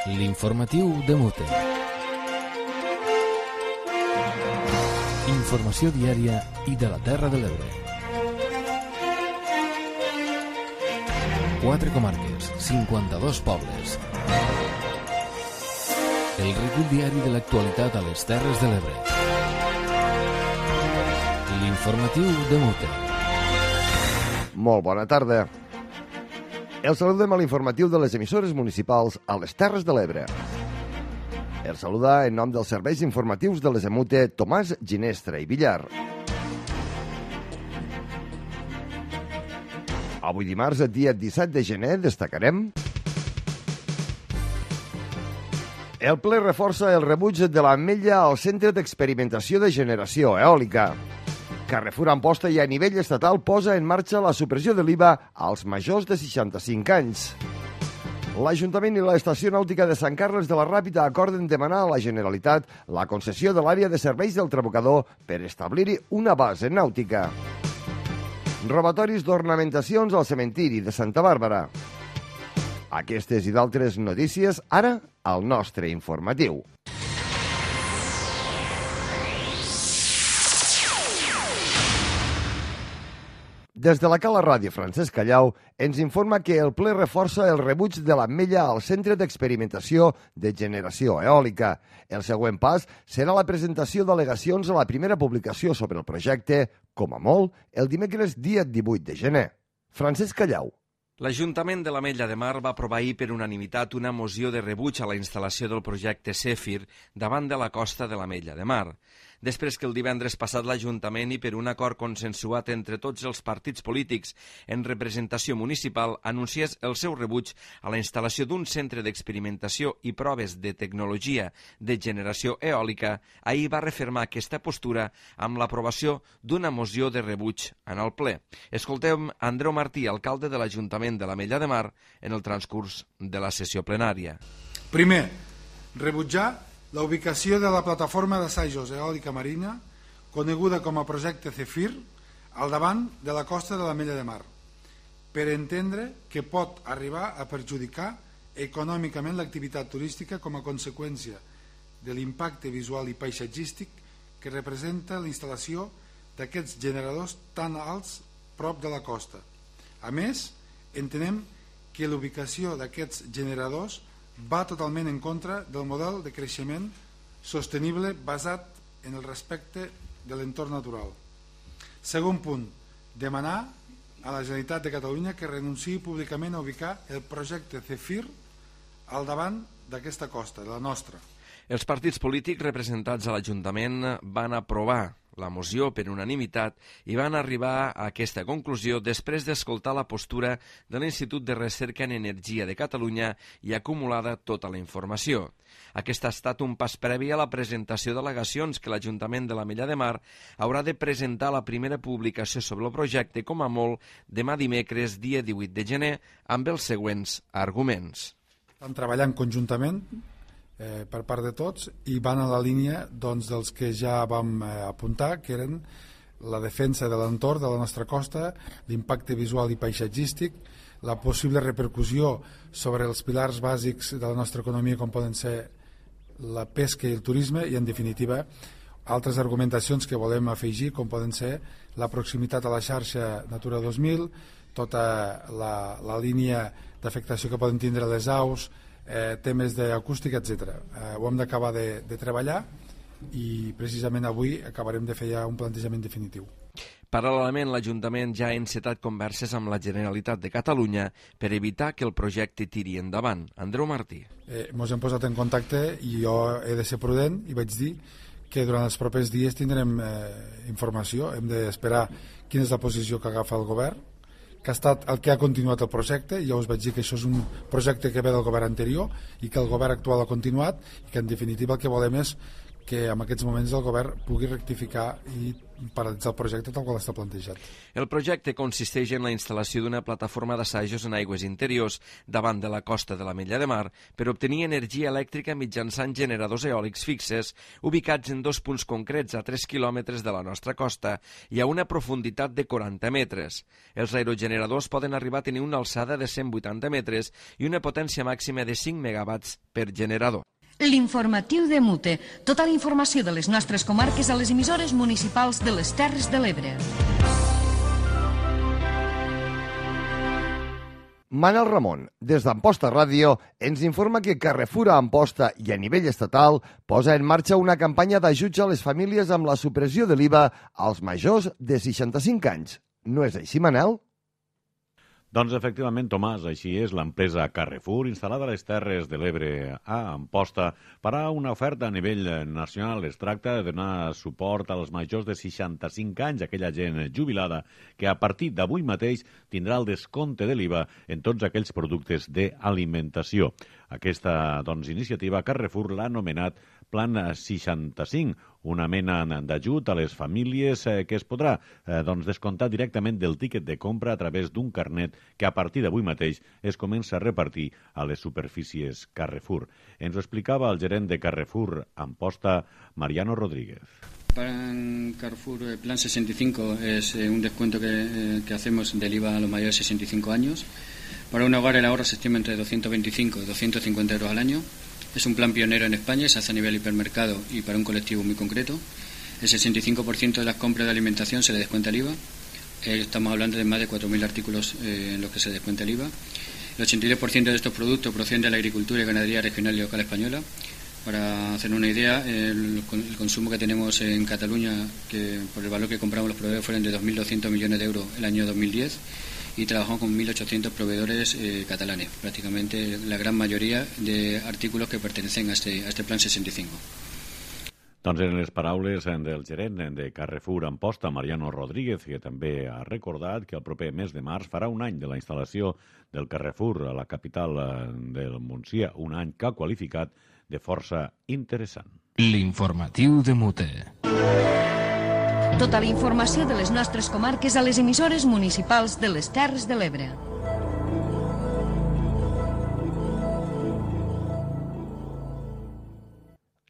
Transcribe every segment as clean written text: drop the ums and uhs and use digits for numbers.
L'informatiu de Mute. Informació diària i de la Terra de l'Ebre. 4 comarques, 52 pobles. El recull diari de l'actualitat a les Terres de l'Ebre. L'informatiu de Mute. Molt bona tarda. El saludem a l'informatiu de les emissores municipals a les Terres de l'Ebre. El saluda en nom dels serveis informatius de les EMUTE Tomàs Ginestra i Villar. Avui dimarts, dia 17 de gener, destacarem: el ple reforça el rebuig de l'Ametlla al Centre d'Experimentació de Generació Eòlica. Carrefour Amposta i a nivell estatal posa en marxa la supressió de l'IVA als majors de 65 anys. L'Ajuntament i l'Estació Nàutica de Sant Carles de la Ràpita acorden demanar a la Generalitat la concessió de l'àrea de serveis del Trabucador per establir-hi una base nàutica. Robatoris d'ornamentacions al cementiri de Santa Bàrbara. Aquestes i d'altres notícies ara al nostre informatiu. Des de la Cala Ràdio Francesc Callau ens informa que el ple reforça el rebuig de l'Ametlla al Centre d'Experimentació de Generació Eòlica. El següent pas serà la presentació d'al·legacions a la primera publicació sobre el projecte, com a molt, el dimecres dia 18 de gener. Francesc Callau. L'Ajuntament de l'Ametlla de Mar va aprovar ahir per unanimitat una moció de rebuig a la instal·lació del projecte Zèfir davant de la costa de l'Ametlla de Mar. Després que el divendres passat l'Ajuntament i per un acord consensuat entre tots els partits polítics en representació municipal anunciés el seu rebuig a la instal·lació d'un centre d'experimentació i proves de tecnologia de generació eòlica, ahir va refermar aquesta postura amb l'aprovació d'una moció de rebuig en el ple. Escoltem Andreu Martí, alcalde de l'Ajuntament de l'Ametlla de Mar, en el transcurs de la sessió plenària. Primer, rebutjar la ubicació de la plataforma d'assajos eòlica marina, coneguda com a projecte Zèfir, al davant de la costa de l'Ametlla de Mar, per entendre que pot arribar a perjudicar econòmicament l'activitat turística com a conseqüència de l'impacte visual i paisatgístic que representa la instal·lació d'aquests generadors tan alts prop de la costa. A més, entenem que l'ubicació d'aquests generadors va totalment en contra del model de creixement sostenible basat en el respecte de l'entorn natural. Segon punt, demanar a la Generalitat de Catalunya que renunciï públicament a ubicar el projecte Zèfir al davant d'aquesta costa, de la nostra. Els partits polítics representats a l'Ajuntament van aprovar la moció per unanimitat i van arribar a aquesta conclusió després d'escoltar la postura de l'Institut de Recerca en Energia de Catalunya i acumulada tota la informació. Aquest ha estat un pas previ a la presentació d'al·legacions que l'Ajuntament de l'Ametlla de Mar haurà de presentar la primera publicació sobre el projecte, com a molt, demà dimecres, dia 18 de gener, amb els següents arguments. Estan treballant conjuntament per part de tots i van a la línia dels que ja vam apuntar, que eren la defensa de l'entorn de la nostra costa, l'impacte visual i paisatgístic, la possible repercussió sobre els pilars bàsics de la nostra economia com poden ser la pesca i el turisme i, en definitiva, altres argumentacions que volem afegir com poden ser la proximitat a la xarxa Natura 2000, tota la línia d'afectació que poden tindre les aus, temes d'acústica, etc. Ho hem d'acabar de treballar i precisament avui acabarem de fer ja un plantejament definitiu. Paral·lelament, l'Ajuntament ja ha encetat converses amb la Generalitat de Catalunya per evitar que el projecte tiri endavant. Andreu Martí. Ens hem posat en contacte i jo he de ser prudent i vaig dir que durant els propers dies tindrem informació. Hem d'esperar quina és la posició que agafa el govern, que ha estat el que ha continuat el projecte. Ja us vaig dir que això és un projecte que ve del govern anterior i que el govern actual ha continuat i que en definitiva el que volem és que en aquests moments el govern pugui rectificar i paralitzar el projecte tal qual està plantejat. El projecte consisteix en la instal·lació d'una plataforma d'assajos en aigües interiors davant de la costa de l'Ametlla de Mar per obtenir energia elèctrica mitjançant generadors eòlics fixes ubicats en 2 punts concrets a 3 quilòmetres de la nostra costa i a una profunditat de 40 metres. Els aerogeneradors poden arribar a tenir una alçada de 180 metres i una potència màxima de 5 megawatts per generador. L'informatiu de Mute. Tota la informació de les nostres comarques a les emissores municipals de les Terres de l'Ebre. Manel Ramon, des d'Amposta Ràdio, ens informa que Carrefour a Amposta i a nivell estatal posa en marxa una campanya d'ajuts a les famílies amb la supressió de l'IVA als majors de 65 anys. No és així, Manel? Doncs efectivament, Tomàs, així és. L'empresa Carrefour, instal·lada a les Terres de l'Ebre a Amposta, farà una oferta a nivell nacional. Es tracta de donar suport als majors de 65 anys, aquella gent jubilada, que a partir d'avui mateix tindrà el descompte de l'IVA en tots aquells productes d'alimentació. Aquesta iniciativa Carrefour l'ha anomenat Plan 65, una mena d'ajut a les famílies que es podrà descomptar directament del tíquet de compra a través d'un carnet que a partir d'avui mateix es comença a repartir a les superfícies Carrefour. Ens ho explicava el gerent de Carrefour Amposta, Mariano Rodríguez. Para Carrefour el Plan 65 es un descuento que hacemos del IVA a los mayores de 65 años. Para un hogar el ahorro se estima entre 225 y 250 euros al año. Es un plan pionero en España, se hace a nivel hipermercado y para un colectivo muy concreto. El 65% de las compras de alimentación se le descuenta el IVA. Estamos hablando de más de 4.000 artículos en los que se descuenta el IVA. El 83% de estos productos proceden de la agricultura y ganadería regional y local española. Para hacer una idea, el consumo que tenemos en Cataluña, que por el valor que compramos los proveedores, fueron de 2.200 millones de euros el año 2010. Y trabajamos con 1.800 proveedores catalanes, prácticamente la gran mayoría de artículos que pertenecen a este Plan 65. Doncs en les paraules del gerent de Carrefour Amposta, Mariano Rodríguez, que també ha recordat que el proper mes de març farà un any de la instal·lació del Carrefour a la capital del Montsià, un any que ha qualificat de força interessant. L'informatiu de Mute. Tota la informació de les nostres comarques a les emissores municipals de les Terres de l'Ebre.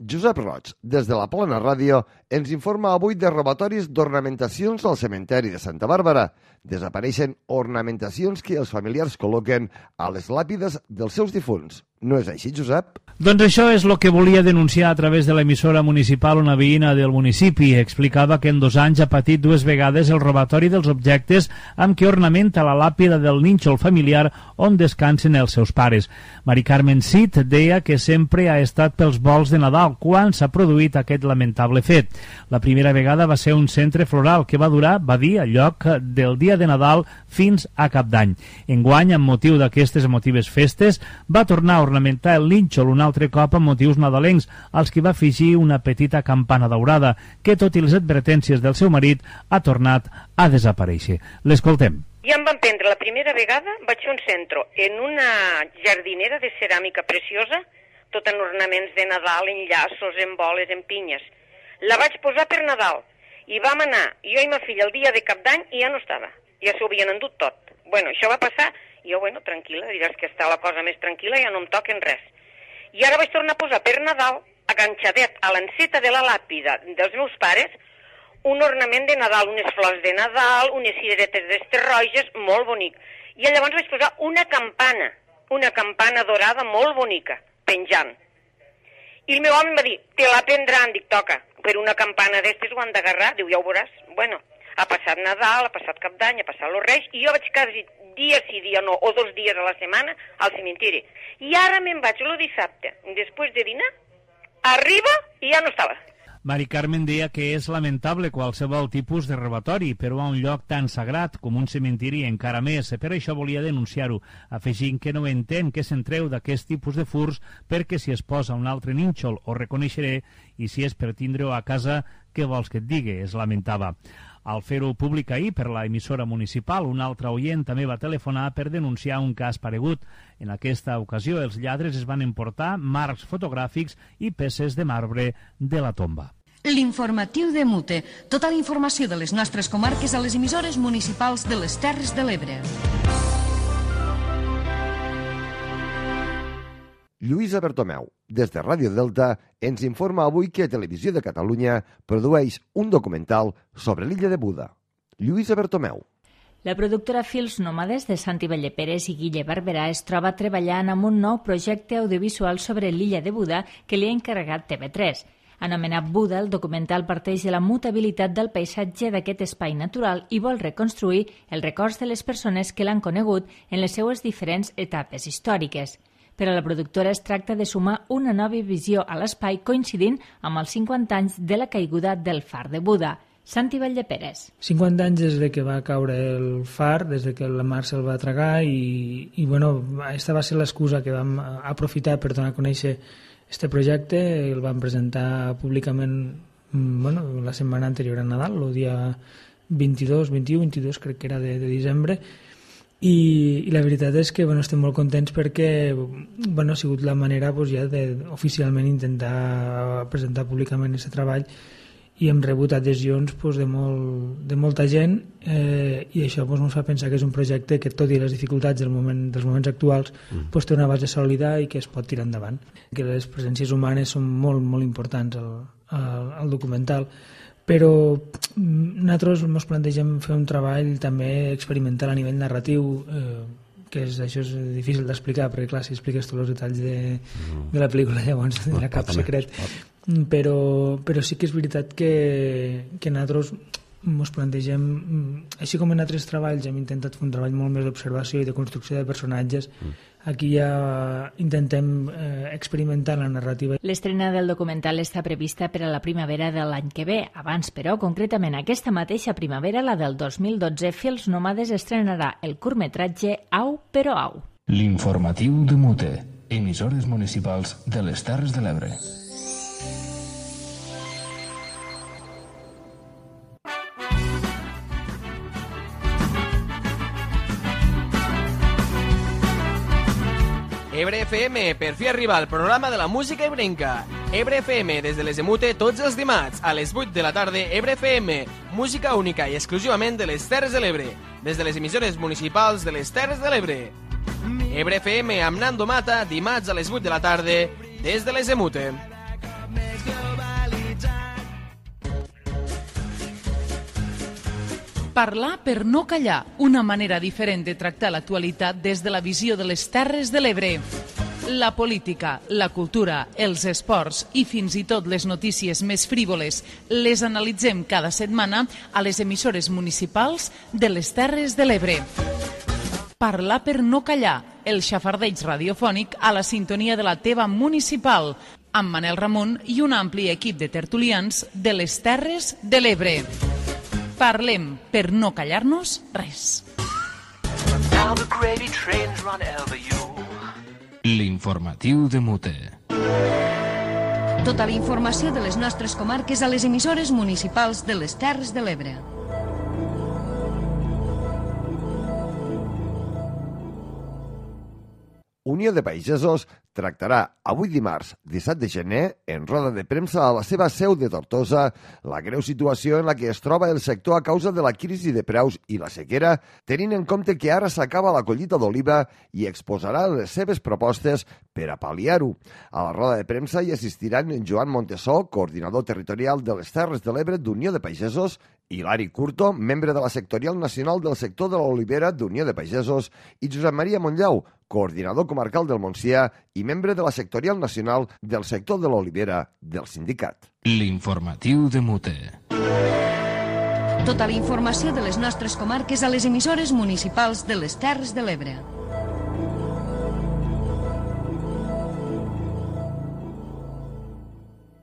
Josep Roig, des de la Plana Ràdio, ens informa avui de robatoris d'ornamentacions al cementeri de Santa Bàrbara. Desapareixen ornamentacions que els familiars col·loquen a les làpides dels seus difunts. No és així, Josep? Doncs això és el que volia denunciar a través de l'emissora municipal una veïna del municipi. Explicava que en 2 anys ha patit 2 vegades el robatori dels objectes amb què ornamenta la làpida del nínxol familiar on descansen els seus pares. Mari Carmen Cid deia que sempre ha estat pels vols de Nadal quan s'ha produït aquest lamentable fet. La primera vegada va ser un centre floral que va durar, va dir, al lloc del dia de Nadal fins a Cap d'Any. Enguany, amb motiu d'aquestes emotives festes, va tornar a ornamentar el nínxol un altre cop amb motius nadalencs, als que va afegir una petita campana daurada, que, tot i les advertències del seu marit, ha tornat a desaparèixer. L'escoltem. Ja em van prendre la primera vegada, vaig fer un centre en una jardinera de ceràmica preciosa, tot en ornaments de Nadal, en llaços, en boles, en pinyes. La vaig posar per Nadal i vam anar, jo i ma filla, el dia de Cap d'Any i ja no estava. Ja s'ho havien endut tot. Bueno, això va passar i jo, tranquil·la, diràs que està la cosa més tranquil·la, ja no em toquen res. I ara vaig tornar a posar per Nadal, aganxadet a l'enceta de la làpida dels meus pares, un ornament de Nadal, unes flors de Nadal, unes cireretes d'estes roges, molt bonic. I llavors vaig posar una campana dorada molt bonica, penjant. I el meu home em va dir, te la prendran, dic, toca, per una campana d'estes ho han d'agarrar, diu, ja ho veuràs. Bueno, ha passat Nadal, ha passat Cap d'Any, ha passat los Reis, i jo vaig quasi dia sí, dia no, o 2 dies a la setmana al cementiri. I ara me'n vaig el dissabte, després de dinar, arriba i ja no estava. Mari Carmen deia que és lamentable qualsevol tipus de robatori, però a un lloc tan sagrat com un cementiri encara més. Per això volia denunciar-ho, afegint que no entén que se'n treu d'aquest tipus de furs perquè si es posa un altre nínxol ho reconeixeré i si és per tindre-ho a casa, què vols que et digui? Es lamentava. Al fer-ho públic ahir per la emissora municipal, un altre oient també va telefonar per denunciar un cas paregut. En aquesta ocasió, els lladres es van emportar marcs fotogràfics i peces de marbre de la tomba. L'informatiu de Mute. Tota la informació de les nostres comarques a les emissores municipals de les Terres de l'Ebre. Lluïsa Bertomeu, des de Ràdio Delta, ens informa avui que Televisió de Catalunya produeix un documental sobre l'illa de Buda. Lluïsa Bertomeu. La productora Fils Nòmades de Santi Valleperes i Guille Barberà es troba treballant amb un nou projecte audiovisual sobre l'illa de Buda que li ha encarregat TV3. Anomenat Buda, el documental parteix de la mutabilitat del paisatge d'aquest espai natural i vol reconstruir els records de les persones que l'han conegut en les seues diferents etapes històriques. Per a la productora es tracta de sumar una nova visió a l'espai coincidint amb els 50 anys de la caiguda del far de Buda. Santi Valleperes. 50 anys des de que va caure el far, des de que la mar se'l va tragar i bueno, aquesta va ser l'excusa que vam aprofitar per donar a conèixer este projecte. El vam presentar públicament la setmana anterior a Nadal, el dia 22 crec que era de desembre, i la veritat és que estem molt contents perquè ha sigut la manera ja oficialment intentar presentar públicament aquest treball i hem rebut adhesions de molta gent i això ens fa pensar que és un projecte que, tot i les dificultats dels moments actuals, té una base sòlida i que es pot tirar endavant. Que les presències humanes són molt, molt importants al documental, però nosaltres ens plantegem fer un treball també experimental a nivell narratiu, que això és difícil d'explicar, perquè clar, si expliques tots els detalls de la pel·lícula llavors no hi ha cap secret, però sí que és veritat que nosaltres ens plantegem, així com en altres treballs hem intentat fer un treball molt més d'observació i de construcció de personatges, aquí ja intentem experimentar la narrativa. L'estrena del documental està prevista per a la primavera de l'any que ve. Abans, però, concretament aquesta mateixa primavera, la del 2012, Fils Nòmades estrenarà el curtmetratge Au, però au. L'informatiu de Mute, emissores municipals de les Terres de l'Ebre. Ebre FM, per fi arriba el programa de la música ebrenca. Ebre FM, des de les de Mute, tots els dimarts, a les 8 de la tarda, Ebre FM, música única i exclusivament de les Terres de l'Ebre, des de les emissores municipals de les Terres de l'Ebre. Ebre FM amb Nando Mata, dimarts a les 8 de la tarda, des de les de Mute. Parlar per no callar, una manera diferent de tractar l'actualitat des de la visió de les Terres de l'Ebre. La política, la cultura, els esports i fins i tot les notícies més frívoles les analitzem cada setmana a les emissores municipals de les Terres de l'Ebre. Parlar per no callar, el xafardeig radiofònic a la sintonia de la teva municipal, amb Manel Ramon i un ampli equip de tertulians de les Terres de l'Ebre. Parlem per no callar-nos res. L'informatiu de Mute. Tota la informació de les nostres comarques a les emissores municipals de les Terres de l'Ebre. Unió de Pagesos tractarà avui dimarts, 17 de gener, en roda de premsa a la seva seu de Tortosa, la greu situació en la que es troba el sector a causa de la crisi de preus i la sequera, tenint en compte que ara s'acaba la collita d'oliva i exposarà les seves propostes per a pal·liar-ho. A la roda de premsa hi assistiran Joan Montesó, coordinador territorial de les Terres de l'Ebre d'Unió de Pagesos, Hilari Curto, membre de la sectorial nacional del sector de l'olivera d'Unió de Pagesos, i Josep Maria Montllau, coordinador comarcal del Montsià i membre de la sectorial nacional del sector de l'olivera del sindicat. L'informatiu de Mute. Tota la informació de les nostres comarques a les emissores municipals de les Terres de l'Ebre.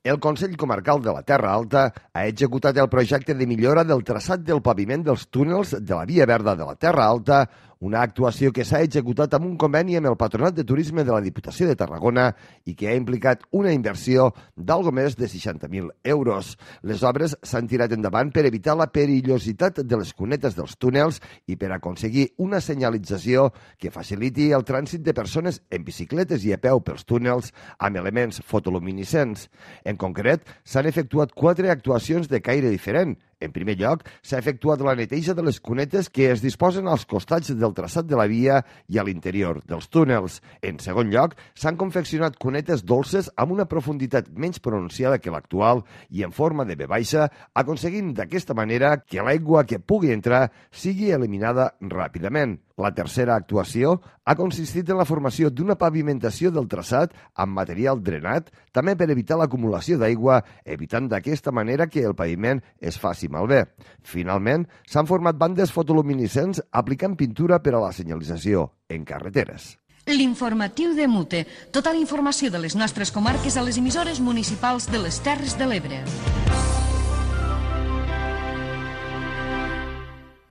El Consell Comarcal de la Terra Alta ha executat el projecte de millora del traçat del paviment dels túnels de la Via Verda de la Terra Alta, una actuació que s'ha executat amb un conveni amb el Patronat de Turisme de la Diputació de Tarragona i que ha implicat una inversió d'algo més de 60.000 euros. Les obres s'han tirat endavant per evitar la perillositat de les cunetes dels túnels i per aconseguir una senyalització que faciliti el trànsit de persones en bicicletes i a peu pels túnels amb elements fotoluminescents. En concret, s'han efectuat 4 actuacions de caire diferent. En primer lloc, s'ha efectuat la neteja de les cunetes que es disposen als costats del traçat de la via i a l'interior dels túnels. En segon lloc, s'han confeccionat cunetes dolces amb una profunditat menys pronunciada que l'actual i en forma de V baixa, aconseguint d'aquesta manera que l'aigua que pugui entrar sigui eliminada ràpidament. La tercera actuació ha consistit en la formació d'una pavimentació del traçat amb material drenat, també per evitar l'acumulació d'aigua, evitant d'aquesta manera que el paviment es faci malbé. Finalment, s'han format bandes fotoluminescents aplicant pintura per a la senyalització en carreteres. L'informatiu de Mute. Tota la informació de les nostres comarques a les emissores municipals de les Terres de l'Ebre.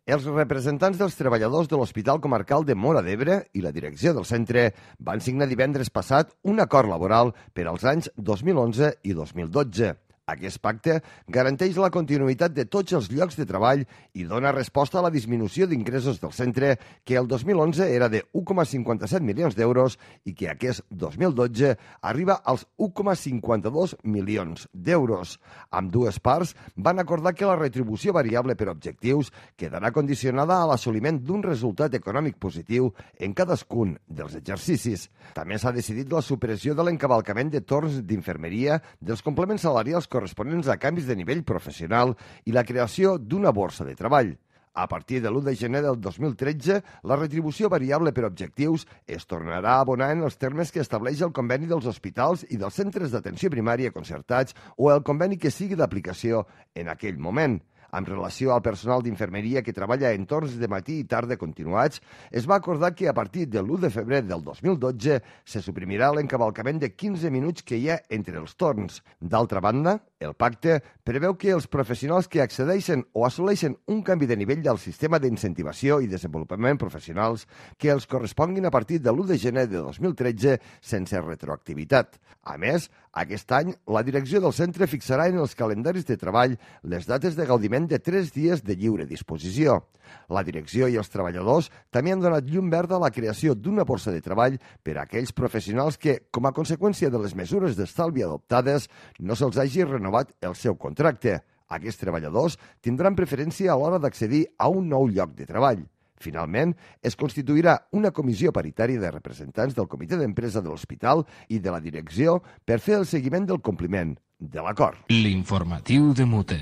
Els representants dels treballadors de l'Hospital Comarcal de Móra d'Ebre i la direcció del centre van signar divendres passat un acord laboral per als anys 2011 i 2012. Aquest pacte garanteix la continuïtat de tots els llocs de treball i dona resposta a la disminució d'ingressos del centre, que el 2011 era de 1,57 milions d'euros i que aquest 2012 arriba als 1,52 milions d'euros. Amb dues parts van acordar que la retribució variable per objectius quedarà condicionada a l'assoliment d'un resultat econòmic positiu en cadascun dels exercicis. També s'ha decidit la supressió de l'encavalcament de torns d'infermeria, dels complements salarials corresponents a canvis de nivell professional i la creació d'una borsa de treball. A partir de l'1 de gener del 2013, la retribució variable per objectius es tornarà a abonar en els termes que estableix el conveni dels hospitals i dels centres d'atenció primària concertats o el conveni que sigui d'aplicació en aquell moment. En relació al personal d'infermeria que treballa en torns de matí i tarda continuats, es va acordar que a partir de l'1 de febrer del 2012 se suprimirà l'encavalcament de 15 minuts que hi ha entre els torns. D'altra banda, el pacte preveu que els professionals que accedeixen o assoleixen un canvi de nivell del sistema d'incentivació i desenvolupament professionals que els corresponguin a partir de l'1 de gener de 2013 sense retroactivitat. A més, aquest any, la direcció del centre fixarà en els calendaris de treball les dates de gaudiment de 3 dies de lliure disposició. La direcció i els treballadors també han donat llum verda a la creació d'una borsa de treball per a aquells professionals que, com a conseqüència de les mesures d'estalvi adoptades, no se'ls hagi renovat el seu contracte. Aquests treballadors tindran preferència a l'hora d'accedir a un nou lloc de treball. Finalment, es constituirà una comissió paritària de representants del comitè d'empresa de l'hospital i de la direcció per fer el seguiment del compliment de l'acord. L'informatiu de Mute.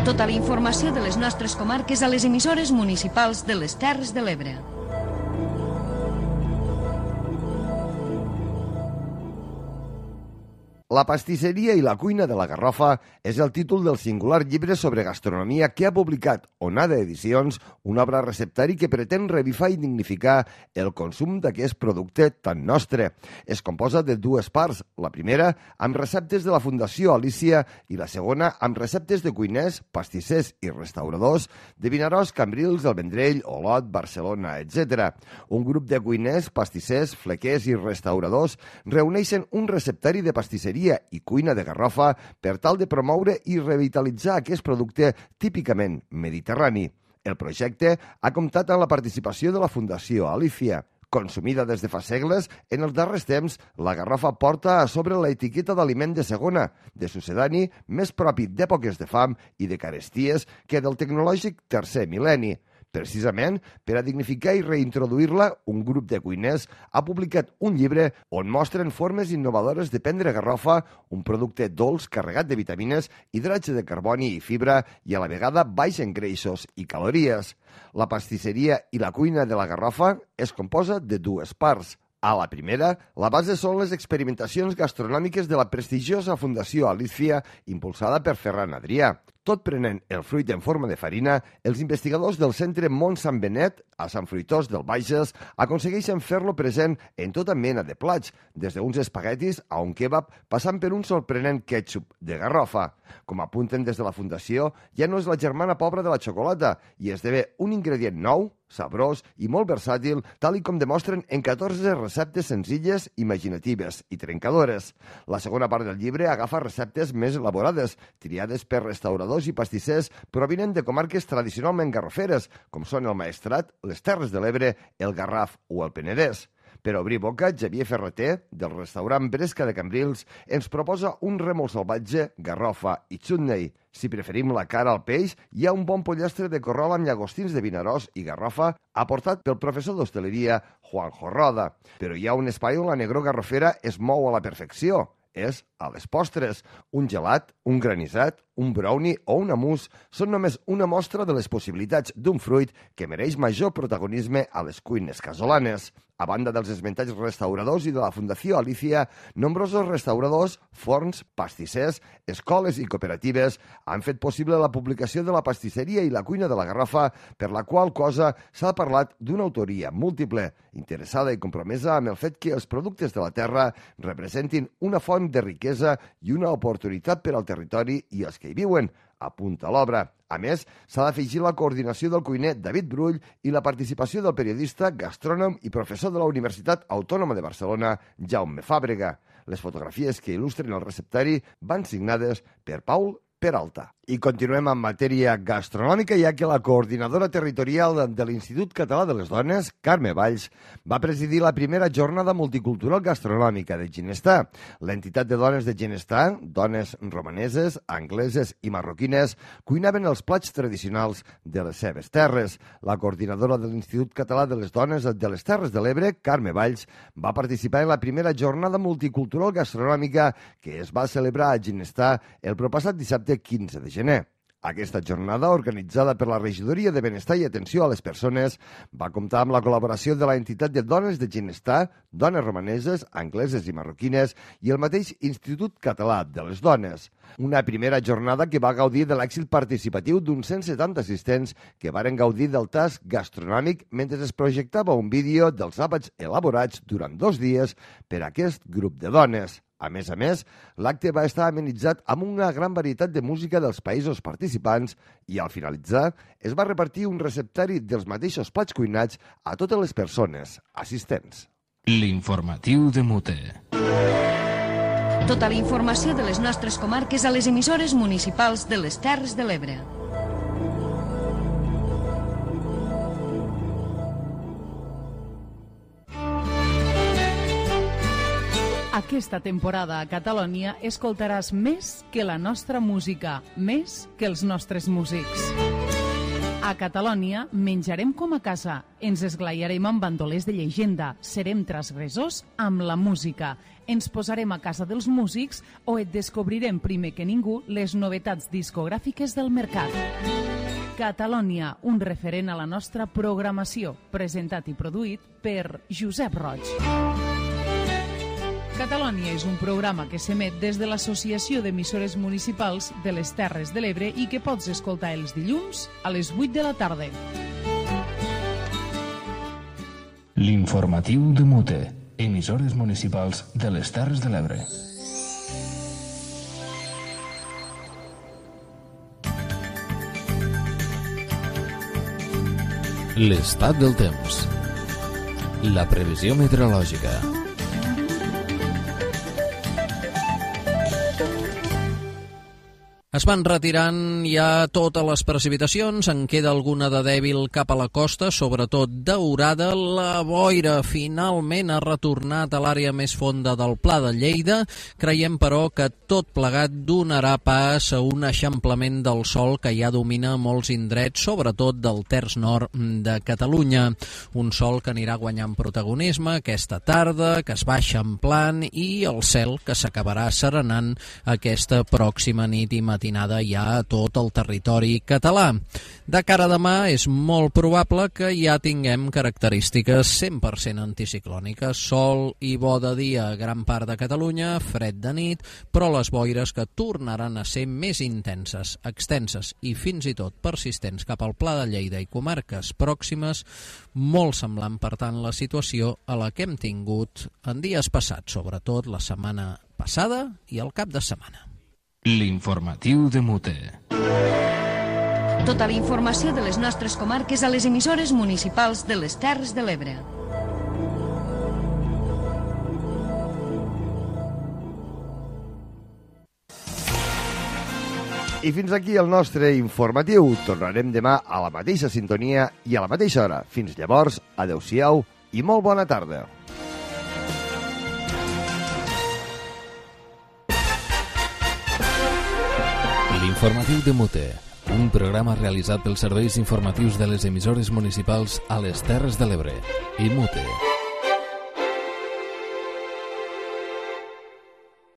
Tota la informació de les nostres comarques a les emissores municipals de les Terres de l'Ebre. La pastisseria i la cuina de la Garrofa és el títol del singular llibre sobre gastronomia que ha publicat Onada Edicions, una obra receptari que pretén revifar i dignificar el consum d'aquest producte tan nostre. Es composa de dues parts, la primera amb receptes de la Fundació Alícia i la segona amb receptes de cuiners, pastissers i restauradors de Vinaròs, Cambrils, El Vendrell, Olot, Barcelona, etc. Un grup de cuiners, pastissers, flequers i restauradors reuneixen un receptari de pastisseria i cuina de Garrofa per tal de promoure i revitalitzar aquest producte típicament mediterrani. El projecte ha comptat amb la participació de la Fundació Alícia. Consumida des de fa segles, en els darrers temps, la Garrofa porta a sobre l'etiqueta d'aliment de segona, de sucedani més propi d'èpoques de fam i de caresties que del tecnològic tercer mil·lenni. Precisament, per a dignificar i reintroduir-la, un grup de cuiners ha publicat un llibre on mostren formes innovadores de prendre garrofa, un producte dolç carregat de vitamines, hidrats de carboni i fibra i a la vegada baix en greixos i calories. La pastisseria i la cuina de la Garrofa es composa de dues parts. A la primera, la base són les experimentacions gastronòmiques de la prestigiosa Fundació Alícia, impulsada per Ferran Adrià. Tot prenent el fruit en forma de farina, els investigadors del centre Mont Sant Benet, a Sant Fruitós del Bages, aconsegueixen fer-lo present en tota mena de plats, des d'uns espaguetis a un kebab, passant per un sorprenent ketchup de Garrofa. Com apunten des de la Fundació, ja no és la germana pobra de la xocolata i esdevé un ingredient nou, sabrós i molt versàtil, tal i com demostren en 14 receptes senzilles, imaginatives i trencadores. La segona part del llibre agafa receptes més elaborades, triades per restauradors i pastissers provinent de comarques tradicionalment garroferes, com són el Maestrat, les Terres de l'Ebre, el Garraf o el Penedès. Per obrir boca, Xavier Ferreter, del restaurant Bresca de Cambrils, ens proposa un rèmol salvatge, garrofa i chutney. Si preferim la cara al peix, hi ha un bon pollastre de corrol amb llagostins de Vinaròs i garrofa aportat pel professor d'hostaleria Juanjo Roda. Però hi ha un espai on la negror garrofera es mou a la perfecció. És a les postres. Un gelat, un granissat, un brownie o un mousse són només una mostra de les possibilitats d'un fruit que mereix major protagonisme a les cuines casolanes. A banda dels esmentats restauradors i de la Fundació Alicia, nombrosos restauradors, forns, pastissers, escoles i cooperatives han fet possible la publicació de la pastisseria i la cuina de la Garrofa, per la qual cosa s'ha parlat d'una autoria múltiple, interessada i compromesa amb el fet que els productes de la terra representin una font de riquesa i una oportunitat per al territori i els que hi viuen, apunta l'obra. A més, s'ha d'afegir la coordinació del cuiner David Brull i la participació del periodista, gastrònom i professor de la Universitat Autònoma de Barcelona, Jaume Fàbrega. Les fotografies que il·lustren el receptari van signades per Paul Peralta. I continuem amb matèria gastronòmica, ja que la coordinadora territorial de l'Institut Català de les Dones, Carme Valls, va presidir la primera jornada multicultural gastronòmica de Ginestar. L'entitat de dones de Ginestar, dones romaneses, angleses i marroquines, cuinaven els plats tradicionals de les seves terres. La coordinadora de l'Institut Català de les Dones de les Terres de l'Ebre, Carme Valls, va participar en la primera jornada multicultural gastronòmica que es va celebrar a Ginestar el proppassat dissabte 15 de gener. Aquesta jornada, organitzada per la Regidoria de Benestar i Atenció a les Persones, va comptar amb la col·laboració de la entitat de dones de Ginestar, dones romaneses, angleses i marroquines i el mateix Institut Català de les Dones. Una primera jornada que va gaudir de l'èxit participatiu d'uns 170 assistents que varen gaudir del tast gastronòmic mentre es projectava un vídeo dels àpats elaborats durant 2 dies per aquest grup de dones. A més, l'acte va estar amenitzat amb una gran varietat de música dels països participants i, al finalitzar, es va repartir un receptari dels mateixos plats cuinats a totes les persones assistents. L'informatiu de Mute. Tota la informació de les nostres comarques a les emissores municipals de les Terres de l'Ebre. Aquesta temporada a Catalònia escoltaràs més que la nostra música, més que els nostres músics. A Catalònia menjarem com a casa, ens esglaiarem amb bandolers de llegenda, serem transgressors amb la música, ens posarem a casa dels músics o et descobrirem primer que ningú les novetats discogràfiques del mercat. Catalònia, un referent a la nostra programació, presentat i produït per Josep Roig. Catalònia és un programa que s'emet des de l'Associació d'Emissores Municipals de les Terres de l'Ebre i que pots escoltar els dilluns a les 8 de la tarda. L'informatiu de Mute, emissores municipals de les Terres de l'Ebre. L'estat del temps. La previsió meteorològica. Es van retirant ja totes les precipitacions, en queda alguna de dèbil cap a la costa, sobretot daurada. La boira finalment ha retornat a l'àrea més fonda del Pla de Lleida. Creiem, però, que tot plegat donarà pas a un eixamplament del sol que ja domina molts indrets, sobretot del terç nord de Catalunya. Un sol que anirà guanyant protagonisme aquesta tarda, que es va eixamplant, i el cel que s'acabarà serenant aquesta pròxima nit i matinada ja a tot el territori català. De cara a demà és molt probable que ja tinguem característiques 100% anticiclòniques, sol i bo de dia a gran part de Catalunya, fred de nit, però les boires que tornaran a ser més intenses, extenses i fins i tot persistents cap al Pla de Lleida i comarques pròximes, molt semblant, per tant, la situació a la que hem tingut en dies passats, sobretot la setmana passada i el cap de setmana. L'informatiu de Mute. Tota la informació de les nostres comarques a les emissores municipals de les Terres de l'Ebre. I fins aquí el nostre informatiu. Tornarem demà a la mateixa sintonia i a la mateixa hora. Fins llavors, adeu-siau i molt bona tarda. L'informatiu de Mute, un programa realitzat pels serveis informatius de les emissores municipals a les Terres de l'Ebre i Mute.